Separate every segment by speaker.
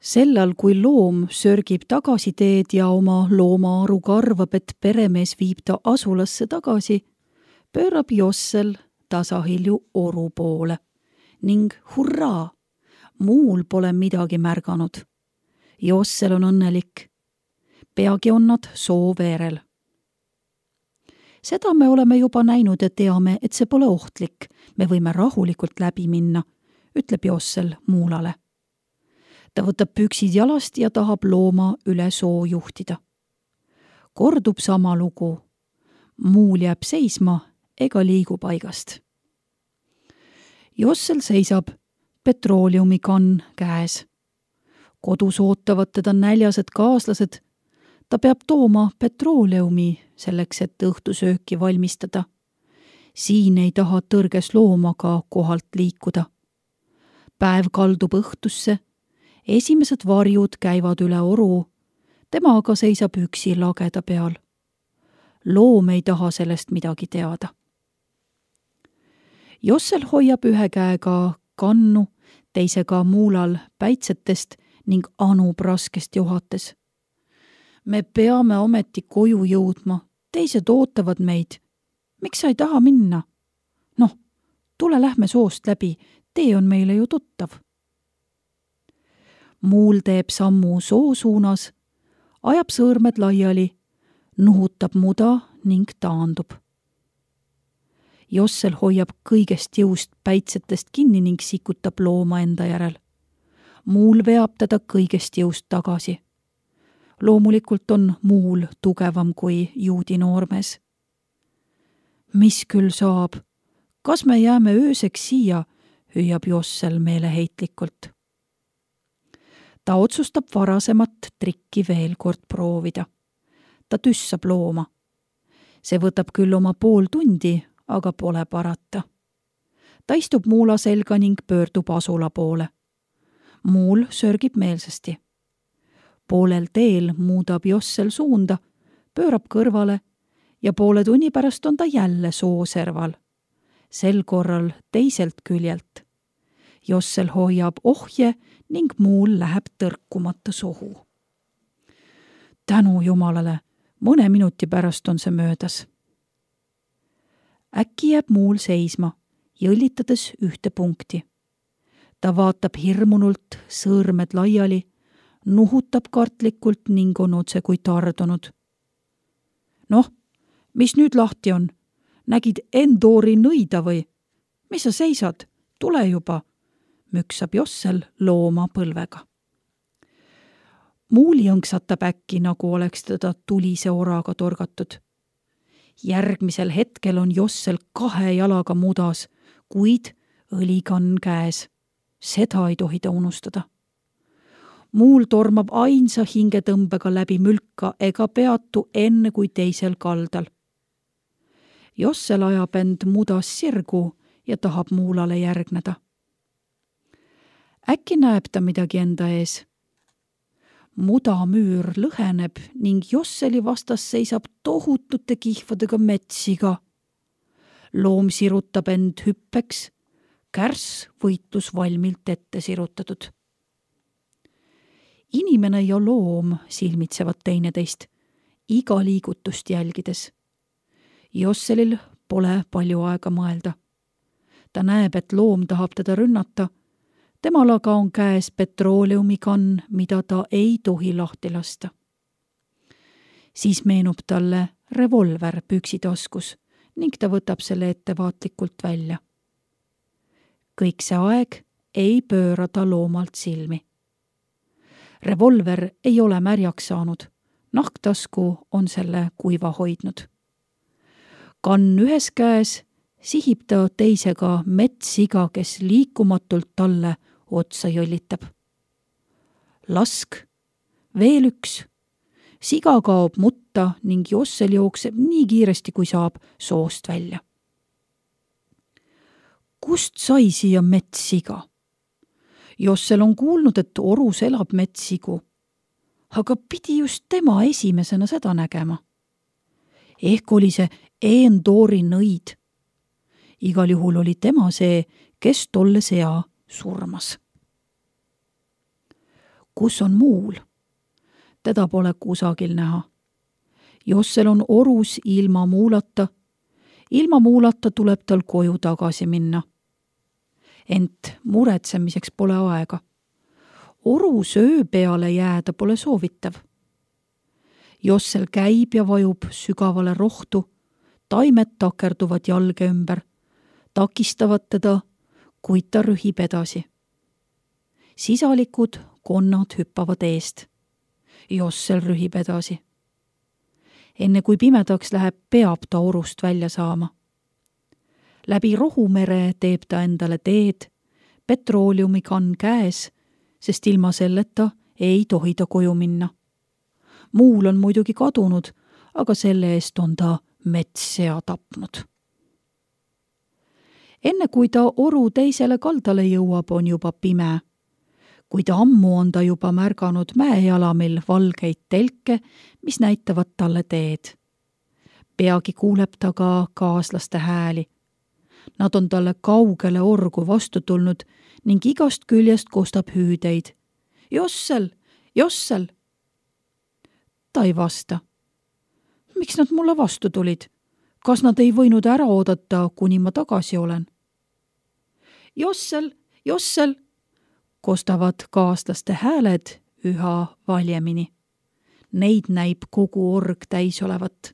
Speaker 1: Sellal, kui loom sörgib tagasi teed ja oma loomaaruga arvab, et peremees viib ta asulasse tagasi, pöörab Jossel tasahilju oru poole ning hurraa, muul pole midagi märganud. Jossel on õnnelik. Peagi on nad soo veerel. Seda me oleme juba näinud ja teame, et see pole ohtlik. Me võime rahulikult läbi minna, ütleb Jossel muulale. Ta võtab püksid jalast ja tahab looma üle soo juhtida. Kordub sama lugu. Muul jääb seisma ega liigu paigast. Jossel seisab, petrooleumikann käes. Kodus ootavad teda näljased kaaslased. Ta peab tooma petrooleumi selleks, et õhtusööki valmistada. Siin ei taha tõrges loomaga kohalt liikuda. Päev kaldub õhtusse. Esimesed varjud käivad üle oru. Tema aga seisab üksi lageda peal. Loom ei taha sellest midagi teada. Jossel hoiab ühe käega kannu, teisega muulal päitsetest ning anub raskest johates. Me peame ometi koju jõudma, teised ootavad meid. Miks sa ei taha minna? Noh, tule lähme soost läbi, tee on meile ju tuttav. Muul teeb sammu soo suunas, ajab sõõrmed laiali, nuhutab muda ning taandub. Jossel hoiab kõigest jõust päitsetest kinni ning sikutab looma enda järel. Muul veab teda kõigest jõust tagasi. Loomulikult on muul tugevam kui juudi noormees. Mis küll saab? Kas me jääme ööseks siia, hüüab Jossel meeleheitlikult. Ta otsustab varasemat trikki veel kord proovida. Ta tüssab looma. See võtab küll oma pool tundi, aga pole parata. Ta istub muula selga ning pöördub asula poole. Muul sörgib meelsasti. Poolel teel muudab Jossel suunda, pöörab kõrvale ja poole tunni pärast on ta jälle sooserval. Sel korral teiselt küljelt. Jossel hoiab ohje ning muul läheb tõrkumata sohu. Tänu Jumalale, mõne minuti pärast on see möödas. Äkki jääb muul seisma, jõllitades ühte punkti. Ta vaatab hirmunult, sõõrmed laiali, nuhutab kartlikult ning on otse kui tardunud. Noh, mis nüüd lahti on? Nägid Endori nõida või? Mis sa seisad? Tule juba, müksab Jossel looma põlvega. Muul jõnksatab äkki, nagu oleks teda tulise oraga torgatud. Järgmisel hetkel on Jossel 2 jalaga mudas, kuid õlikann käes. Seda ei tohi ta unustada. Muul tormab ainsa hingetõmbega läbi mülka ega peatu enne kui teisel kaldal. Jossel ajab end mudas sirgu ja tahab muulale järgneda. Äkki näeb ta midagi enda ees. Mudamüür lõheneb ning Josseli vastas seisab tohutute kihvadega metssiga. Loom sirutab end hüppeks, kärss võitlus valmilt ette sirutatud. Inimene ja loom silmitsevad teineteist, iga liigutust jälgides. Josselil pole palju aega mõelda. Ta näeb, et loom tahab teda rünnata. Temal aga on käes petrooleumikann, mida ta ei tohi lahti lasta. Siis meenub talle revolver püksitaskus ning ta võtab selle ettevaatlikult välja. Kõik see aeg ei pööra ta loomalt silmi. Revolver ei ole märjaks saanud, nahktasku on selle kuiva hoidnud. Kann ühes käes sihib ta teisega metssiga, kes liikumatult talle otsa jõllitab. Lask, veel üks. Siga kaob mutta ning Jossel jookseb nii kiiresti, kui saab soost välja. Kust sai siia metssiga? Jossel on kuulnud, et orus elab metssigu, aga pidi just tema esimesena seda nägema. Ehk oli see Endori nõid. Igal juhul oli tema see, kes tolle sea surmas. kus on muul? Teda pole kusagil näha. Jossel on orus ilma muulata. Ilma muulata tuleb tal koju tagasi minna. Ent muretsemiseks pole aega. Orus öö peale jääda pole soovitav. Jossel käib ja vajub sügavale rohtu. Taimed takerduvad jalge ümber. Takistavad teda, kuid ta rühib edasi. Sisalikud konnad hüppavad eest. Jossel rühib edasi. Enne kui pimedaks läheb, peab ta orust välja saama. Läbi Rohumere teeb ta endale teed, petrooliumikann käes, sest ilma selleta ei tohi ta koju minna. Muul on muidugi kadunud, aga selle eest on ta metssea tapnud. Enne kui ta oru teisele kaldale jõuab, on juba pime. Kuid ammu on ta juba märganud mäejalamil valgeid telke, mis näitavad talle teed. Peagi kuuleb ta ka kaaslaste hääli. Nad on talle kaugele orgu vastu tulnud ning igast küljest kostab hüüdeid. Jossel! Jossel! Ta ei vasta. Miks nad mulle vastu tulid? Kas nad ei võinud ära oodata, kuni ma tagasi olen? Jossel! Jossel! Kostavad kaaslaste hääled üha valjemini. Neid näib kogu org täis olevat.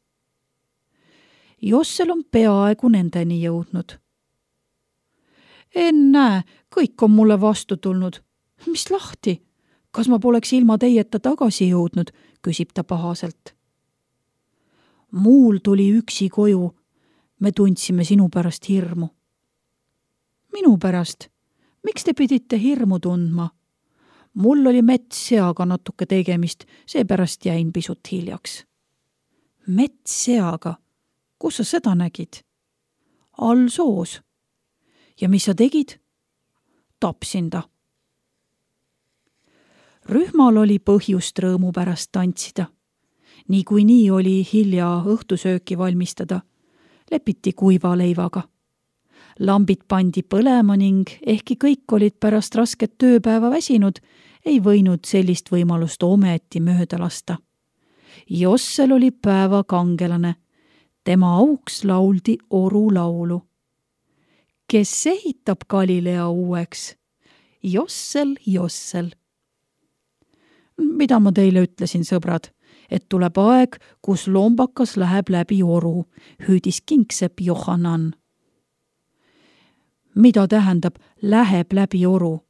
Speaker 1: Jossel on peaaegu nendeni jõudnud. Ennäe, kõik on mulle vastu tulnud. Mis lahti? Kas ma poleks ilma teieta tagasi jõudnud, küsib ta pahaselt. Muul tuli üksi koju. Me tundsime sinu pärast hirmu. Minu pärast? Miks te pidite hirmu tundma? Mul oli metsseaga natuke tegemist, seepärast jäin pisut hiljaks. Metsseaga? Kus sa seda nägid? All soos. Ja mis sa tegid? Tapsin ta. Rühmal oli põhjust rõõmu pärast tantsida. Niikuinii oli hilja õhtusööki valmistada. Lepiti kuiva leivaga. Lambid pandi põlema ning ehkki kõik olid pärast rasket tööpäeva väsinud, ei võinud sellist võimalust ometi mööda lasta. Jossel oli päeva kangelane. Tema auks lauldi oru laulu. Kes ehitab Galilea uueks? Jossel, Jossel. Mida ma teile ütlesin, sõbrad, et tuleb aeg, kus lombakas läheb läbi oru, hüüdis kingsepp Johanan. Mida tähendab läheb läbi oru?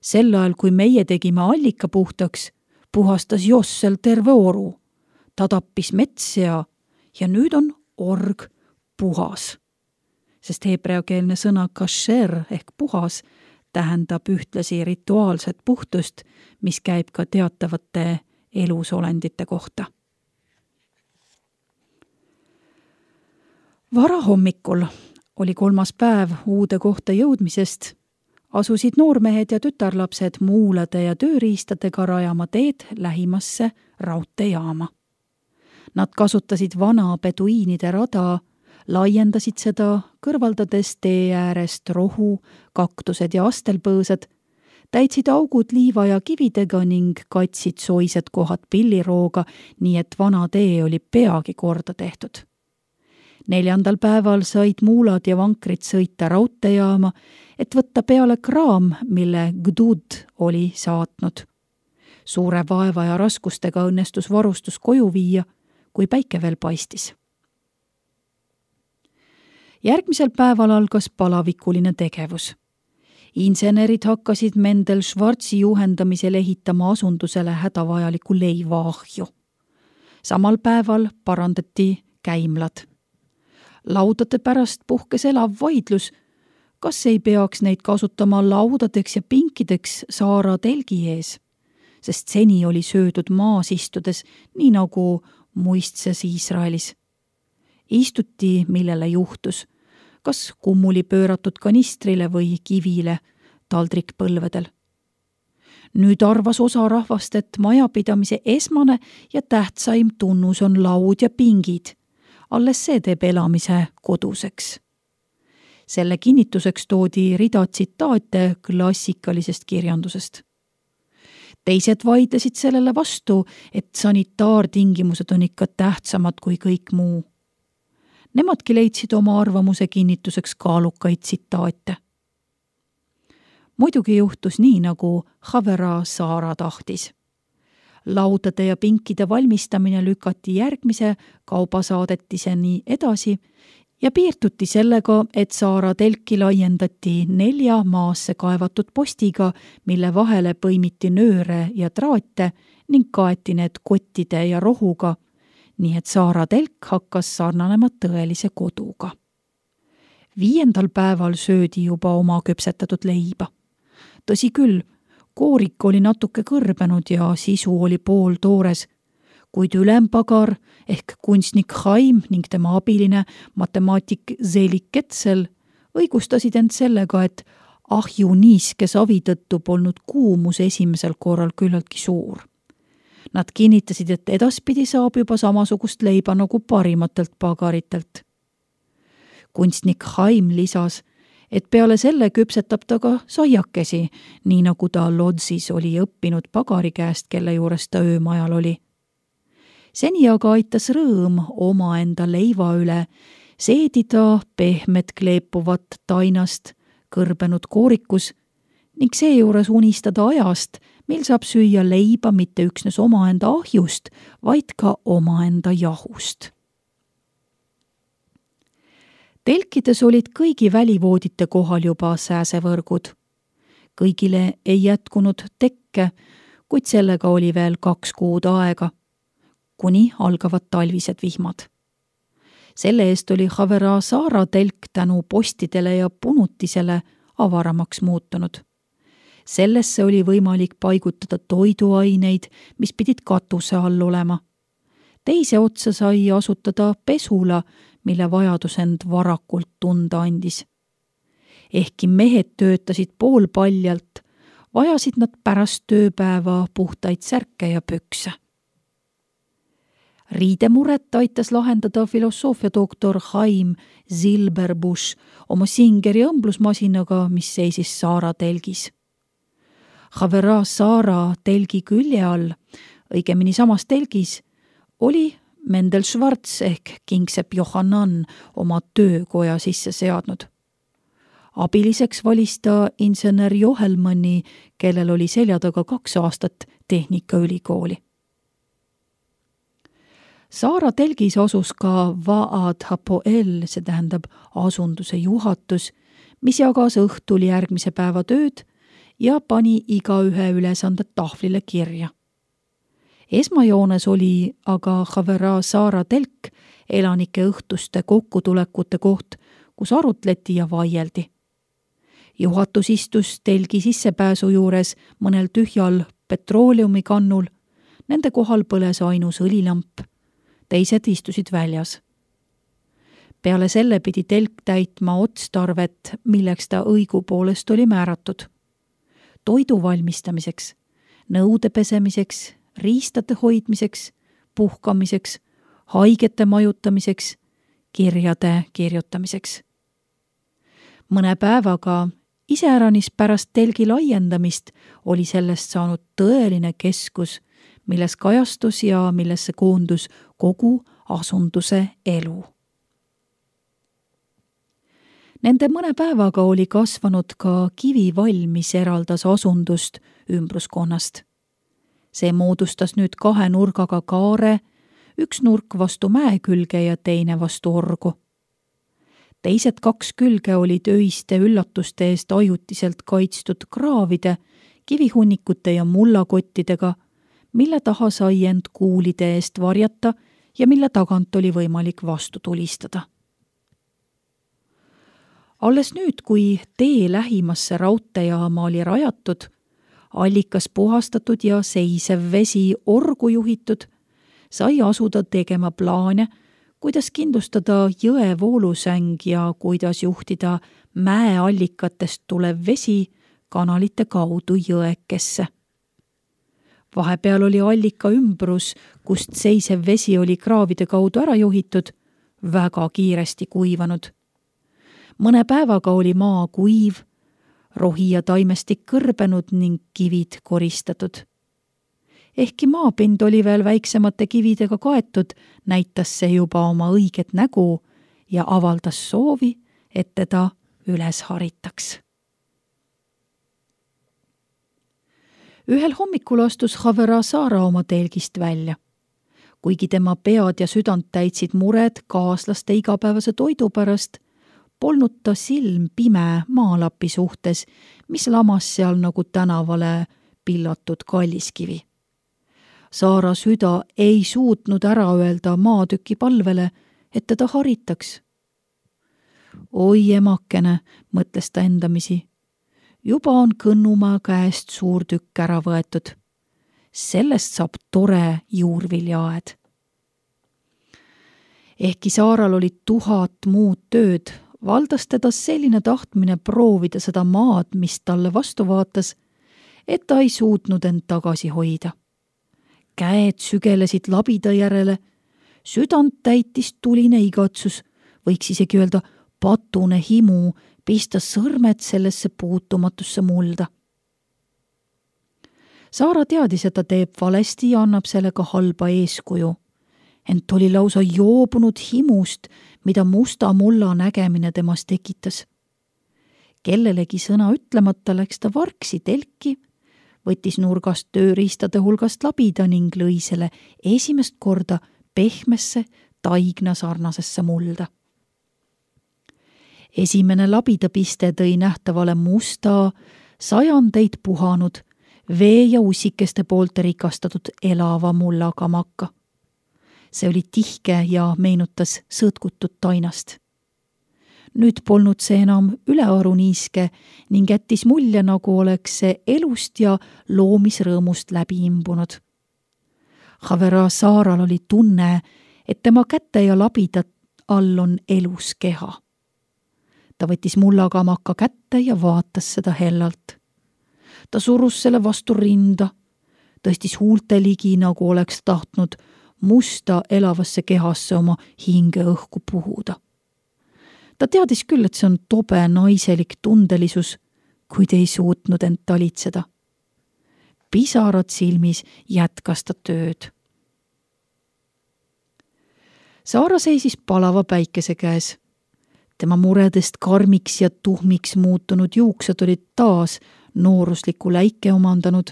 Speaker 1: Sel ajal, kui meie tegime allika puhtaks, puhastas Jossel terve oru. Ta tappis metssea ja nüüd on org puhas. Sest heebreakeelne sõna kasher ehk puhas tähendab ühtlasi rituaalset puhtust, mis käib ka teatavate elusolendite kohta. Varahommikul oli 3. päev uude kohta jõudmisest, asusid noormehed ja tütarlapsed muulade ja tööriistadega rajama teed lähimasse raudteejaama. Nad kasutasid vana beduiinide rada, laiendasid seda, kõrvaldades tee äärest rohu, kaktused ja astelpõõsad, täitsid augud liiva ja kividega ning katsid soised kohad pillirooga, nii et vana tee oli peagi korda tehtud. 4. päeval said muulad ja vankrid sõita raudteejaama, et võtta peale kraam, mille Gdud oli saatnud. Suure vaeva ja raskustega õnnestus varustus koju viia, kui päike veel paistis. Järgmisel päeval algas palavikuline tegevus. Insenerid hakkasid Mendel Schwarzi juhendamisel ehitama asundusele hädavajaliku leivaahju. Samal päeval parandati käimlad. Laudade pärast puhkes elav vaidlus, kas ei peaks neid kasutama laudadeks ja pinkideks saara telgi ees, sest seni oli söödud maas istudes, nii nagu muistses Iisraelis. Istuti, millele juhtus, kas kummuli pööratud kanistrile või kivile taldrikpõlvedel. Nüüd arvas osa rahvast, et majapidamise esmane ja tähtsaim tunnus on laud ja pingid. Alles see teeb elamise koduseks. Selle kinnituseks toodi rida tsitaate klassikalisest kirjandusest. Teised vaidlesid sellele vastu, et sanitaartingimused on ikka tähtsamad kui kõik muu. Nemadki leidsid oma arvamuse kinnituseks kaalukaid tsitaate. Muidugi juhtus nii, nagu Havera Saara tahtis. Laudade ja pinkide valmistamine lükati järgmise kaubasaadetiseni edasi ja piirduti sellega, et Saara telki laiendati 4 maasse kaevatud postiga, mille vahele põimiti nööre ja traate ning kaeti need kottide ja rohuga, nii et Saara telk hakkas sarnanema tõelise koduga. 5. päeval söödi juba oma küpsetatud leiba. Tõsi küll, koorik oli natuke kõrbenud ja sisu oli pooltoores, kuid ülempagar ehk kunstnik Haim ning tema abiline matemaatik Zelik Ketsel õigustasid end sellega, et ahju niiske savi tõttu polnud kuumus esimesel korral küllaltki suur. Nad kinnitasid, et edaspidi saab juba samasugust leiba nagu parimatelt pagaritelt. Kunstnik Haim lisas, et peale selle küpsetab ta ka saiakesi, nii nagu ta Lodzis oli õppinud pagari käest, kelle juures ta öömajal oli. Seni aga aitas rõõm omaenda leiva üle seedida pehmet kleepuvat tainast kõrbenud koorikus ning seejuures unistada ajast, mil saab süüa leiba mitte üksnes omaenda ahjust, vaid ka omaenda jahust. Telkides olid kõigi välivoodite kohal juba sääsevõrgud. Kõigile ei jätkunud tekke, kuid sellega oli veel 2 kuud aega, kuni algavad talvised vihmad. Selle eest oli Havera Saara telk tänu postidele ja punutisele avaramaks muutunud. Sellesse oli võimalik paigutada toiduaineid, mis pidid katuse all olema. Teise otsa sai asutada pesula, mille vajadus end varakult tunda andis. Ehkki mehed töötasid poolpaljalt, vajasid nad pärast tööpäeva puhtaid särke ja pükse. Riidemuret aitas lahendada filosoofiadoktor Haim Zilberbusch oma Singeri õmblusmasinaga, mis seisis Saara telgis. Havera Saara telgi külje all, õigemini samas telgis, oli Mendel Schwarz ehk Kingsepp Johannan oma töökoja sisse seadnud. Abiliseks valis ta insener Johelmanni, kellel oli selja taga 2 aastat tehnikaülikooli. Saara telgis asus ka Vaad Hapoel, see tähendab asunduse juhatus, mis jagas õhtul järgmise päeva tööd ja pani igaühe ülesanded tahvlile kirja. Esmajoones oli aga Havera Saara telk elanike õhtuste kokkutulekute koht, kus arutleti ja vaieldi. Juhatus istus telgi sissepääsu juures mõnel tühjal petrooleumikannul, nende kohal põles ainus õlilamp, teised istusid väljas. Peale selle pidi telk täitma otstarvet, milleks ta õigupoolest oli määratud. Toidu valmistamiseks, nõude pesemiseks, riistade hoidmiseks, puhkamiseks, haigete majutamiseks, kirjade kirjutamiseks. Mõne päevaga, iseäranis pärast telgi laiendamist, oli sellest saanud tõeline keskus, milles kajastus ja millesse koondus kogu asunduse elu. Nende mõne päevaga oli kasvanud ka kivivall, mis eraldas asundust ümbruskonnast. See moodustas nüüd 2 nurgaga kaare, üks nurk vastu mäe külge ja teine vastu orgu. Teised 2 külge olid öiste üllatuste eest ajutiselt kaitstud kraavide, kivihunnikute ja mullakottidega, mille taha sai end kuulide eest varjata ja mille tagant oli võimalik vastu tulistada. Alles nüüd, kui tee lähimasse raudteejaama oli rajatud, allikas puhastatud ja seisev vesi orgu juhitud, sai asuda tegema plaane, kuidas kindlustada jõe voolusäng ja kuidas juhtida mäeallikatest tulev vesi kanalite kaudu jõekesse. Vahepeal oli allika ümbrus, kust seisev vesi oli kraavide kaudu ära juhitud, väga kiiresti kuivanud. Mõne päevaga oli maa kuiv, rohi ja taimestik kõrbenud ning kivid koristatud. Ehkki maapind oli veel väiksemate kividega kaetud, näitas see juba oma õiget nägu ja avaldas soovi, et teda üles haritaks. Ühel hommikul astus Haverasaara oma telgist välja. Kuigi tema pead ja südant täitsid mured kaaslaste igapäevase toidu pärast, polnud ta silm pime maalapi suhtes, mis lamas seal nagu tänavale pillatud kalliskivi. Saara süda ei suutnud ära öelda maatüki palvele, et teda haritaks. Oi emakene, mõtles ta endamisi. Juba on Kõnnumaa käest suur tükk ära võetud. Sellest saab tore juurviljaaed. Ehkki Saaral oli 1000 muud tööd, valdas teda selline tahtmine proovida seda maad, mis talle vastu vaatas, et ta ei suutnud end tagasi hoida. Käed sügelesid labida järele, südant täitis tuline igatsus, võiks isegi öelda patune himu, pista sõrmed sellesse puutumatusse mulda. Saara teadis, et ta teeb valesti ja annab sellega halba eeskuju, ent oli lausa joobunud himust, mida musta mulla nägemine temas tekitas. Kellelegi sõna ütlemata läks ta vargsi telki, võttis nurgast tööriistade hulgast labida ning lõi selle esimest korda pehmesse taigna sarnasesse mulda. Esimene labidapiste tõi nähtavale musta, sajandeid puhanud, vee ja ussikeste poolt rikastatud elava mullaga makka. See oli tihke ja meenutas sõõtkutut tainast. Nüüd polnud see enam ülearu niiske ning jättis mulje, nagu oleks see elust ja loomisrõõmust läbi imbunud. Haverasaaral oli tunne, et tema käte ja labida all on elus keha. Ta võttis mullaga makka kätte ja vaatas seda hellalt. Ta surus selle vastu rinda, tõstis huulte ligi, nagu oleks tahtnud musta elavasse kehasse oma hinge õhku puhuda. Ta teadis küll, et see on tobe naiselik tundelisus, kuid ei suutnud end talitseda. Pisarad silmis jätkas ta tööd. Saara seisis palava päikese käes. Tema muredest karmiks ja tuhmiks muutunud juuksed olid taas noorusliku läike omandanud.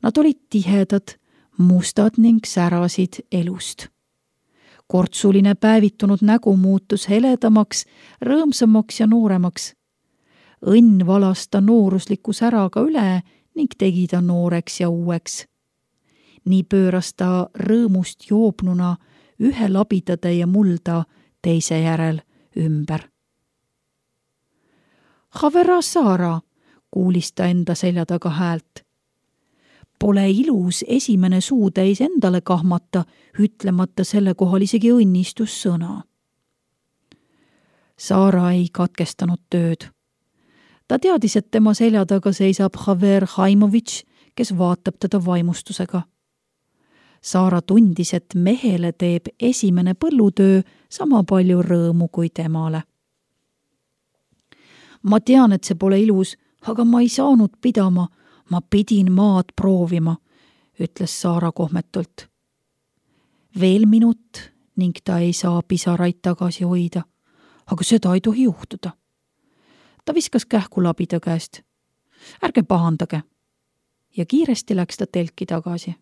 Speaker 1: Nad olid tihedad, mustad ning särasid elust. Kortsuline päevitunud nägu muutus heledamaks, rõõmsamaks ja nooremaks. Õnn valas ta noorusliku säraga üle ning tegi ta nooreks ja uueks. Nii pööras ta rõõmust joobnuna ühe labidatäie mulda teise järel ümber. Haverasaara, kuulis ta enda selja taga häält. Pole ilus esimene suutäis endale kahmata, ütlemata selle kohal isegi õnnistussõna. Saara ei katkestanud tööd. Ta teadis, et tema selja taga seisab Haver Haimovitš, kes vaatab teda vaimustusega. Saara tundis, et mehele teeb esimene põllutöö sama palju rõõmu kui temale. Ma tean, et see pole ilus, aga ma ei saanud pidama, ma pidin maad proovima, ütles Saara kohmetult. Veel minut ning ta ei saa pisaraid tagasi hoida, aga seda ei tohi juhtuda. Ta viskas kähku labida käest. Ärge pahandage. Ja kiiresti läks ta telki tagasi.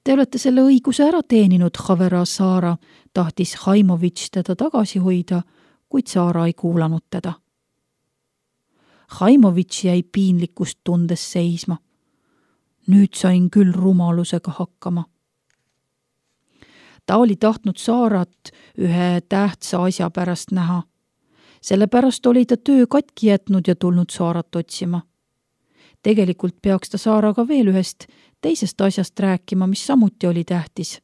Speaker 1: Te olete selle õiguse ära teeninud, Haverasaara, tahtis Haimovitš teda tagasi hoida, kuid Saara ei kuulanud teda. Haimovitš jäi piinlikkust tundes seisma. Nüüd sain küll rumalusega hakkama. Ta oli tahtnud Saarat ühe tähtsa asja pärast näha. Sellepärast oli ta töö katki jätnud ja tulnud Saarat otsima. Tegelikult peaks ta Saaraga veel ühest teisest asjast rääkima, mis samuti oli tähtis.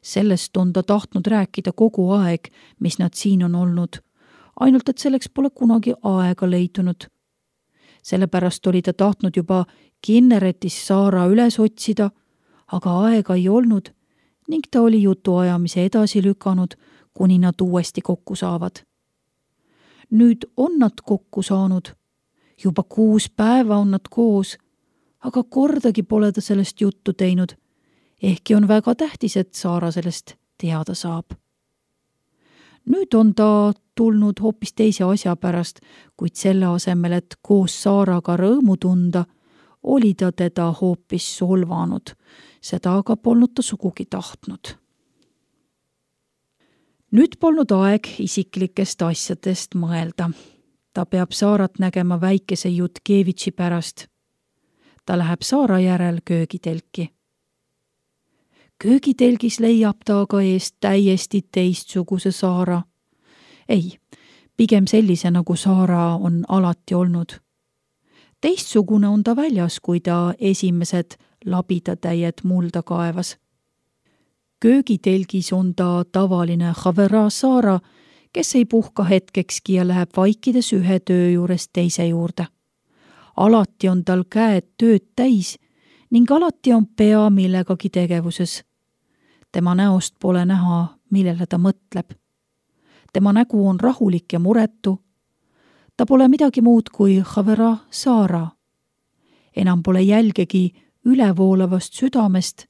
Speaker 1: Sellest on ta tahtnud rääkida kogu aeg, mis nad siin on olnud, ainult et selleks pole kunagi aega leidunud. Sellepärast oli ta tahtnud juba Kinneretis Saara üles otsida, aga aega ei olnud ning ta oli jutuajamise edasi lükanud, kuni nad uuesti kokku saavad. Nüüd on nad kokku saanud. Juba 6 päeva on nad koos, aga kordagi pole ta sellest juttu teinud, ehkki on väga tähtis, et Saara sellest teada saab. Nüüd on ta tulnud hoopis teise asja pärast, kuid selle asemel, et koos Saaraga rõõmu tunda, oli ta teda hoopis solvanud, seda aga polnud ta sugugi tahtnud. Nüüd polnud aeg isiklikest asjadest mõelda. Ta peab Saarat nägema väikese Jutkevitši pärast. Ta läheb Saara järel köögitelki. Köögitelgis leiab ta aga eest täiesti teistsuguse Saara. Ei, pigem sellise, nagu Saara on alati olnud. Teistsugune on ta väljas, kui ta esimesed labidatäied mulda kaevas. Köögitelgis on ta tavaline Havera Saara, kes ei puhka hetkekski ja läheb vaikides ühe töö juurest teise juurde. Alati on tal käed tööd täis ning alati on pea millegagi tegevuses. Tema näost pole näha, millele ta mõtleb. Tema nägu on rahulik ja muretu. Ta pole midagi muud kui Havera Saara. Enam pole jälgegi ülevoolavast südamest,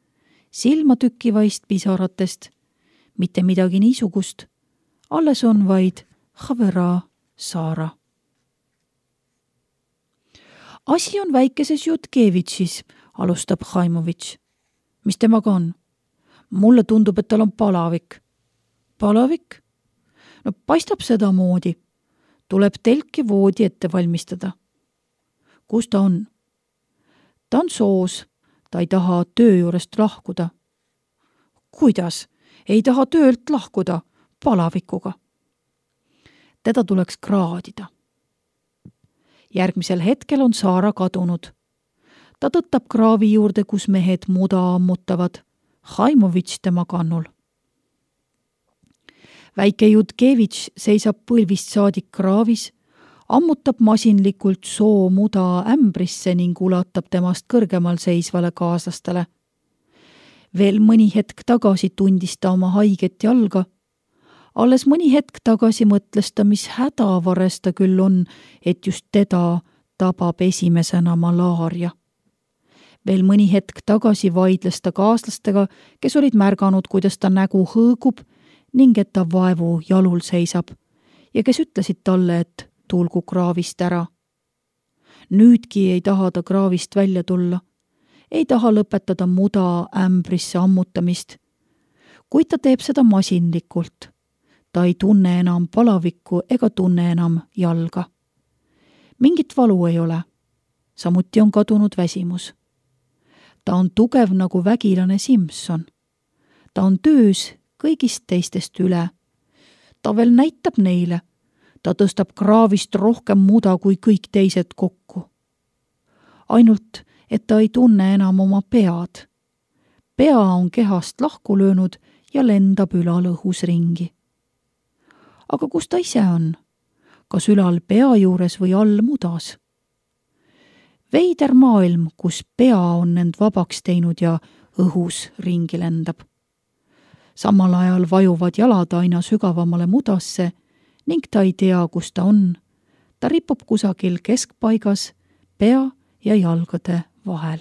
Speaker 1: silmatükkivaist pisaratest, mitte midagi niisugust, alles on vaid Havera Saara. Asi on väikeses Jutkevitšis, alustab Haimovitš. Mis temaga on? Mulle tundub, et tal on palavik. Palavik? No paistab seda moodi. Tuleb telk ja voodi ette valmistada. Kus ta on? Ta on soos. Ta ei taha töö juurest lahkuda. Kuidas? Ei taha töölt lahkuda palavikuga. Teda tuleks kraadida. Järgmisel hetkel on Saara kadunud. Ta tõttab kraavi juurde, kus mehed muda ammutavad. Haimovitš tema kannul. Väike Jutkevitš seisab põlvist saadik kraavis, ammutab masinlikult soo muda ämbrisse ning ulatab temast kõrgemal seisvale kaaslastele. Veel mõni hetk tagasi tundis ta oma haiget jalga. Alles mõni hetk tagasi mõtles ta, mis hädavares ta küll on, et just teda tabab esimesena malaaria. Veel mõni hetk tagasi vaidles ta kaaslastega, kes olid märganud, kuidas ta nägu hõõgub ning et ta vaevu jalul seisab ja kes ütlesid talle, et tulgu kraavist ära. Nüüdki ei taha ta kraavist välja tulla, ei taha lõpetada muda ämbrisse ammutamist, kuid ta teeb seda masinlikult. Ta ei tunne enam palavikku ega tunne enam jalga. Mingit valu ei ole, samuti on kadunud väsimus. Ta on tugev nagu vägilane Simson. Ta on töös kõigist teistest üle. Ta veel näitab neile. Ta tõstab kraavist rohkem muda kui kõik teised kokku. Ainult, et ta ei tunne enam oma pead. Pea on kehast lahku löönud ja lendab ülal õhus ringi. Aga kus ta ise on? Kas ülal pea juures või all mudas? Veider maailm, kus pea on end vabaks teinud ja õhus ringi lendab. Samal ajal vajuvad jalad aina sügavamale mudasse ning ta ei tea, kus ta on. Ta ripub kusagil keskpaigas, pea ja jalgade vahel.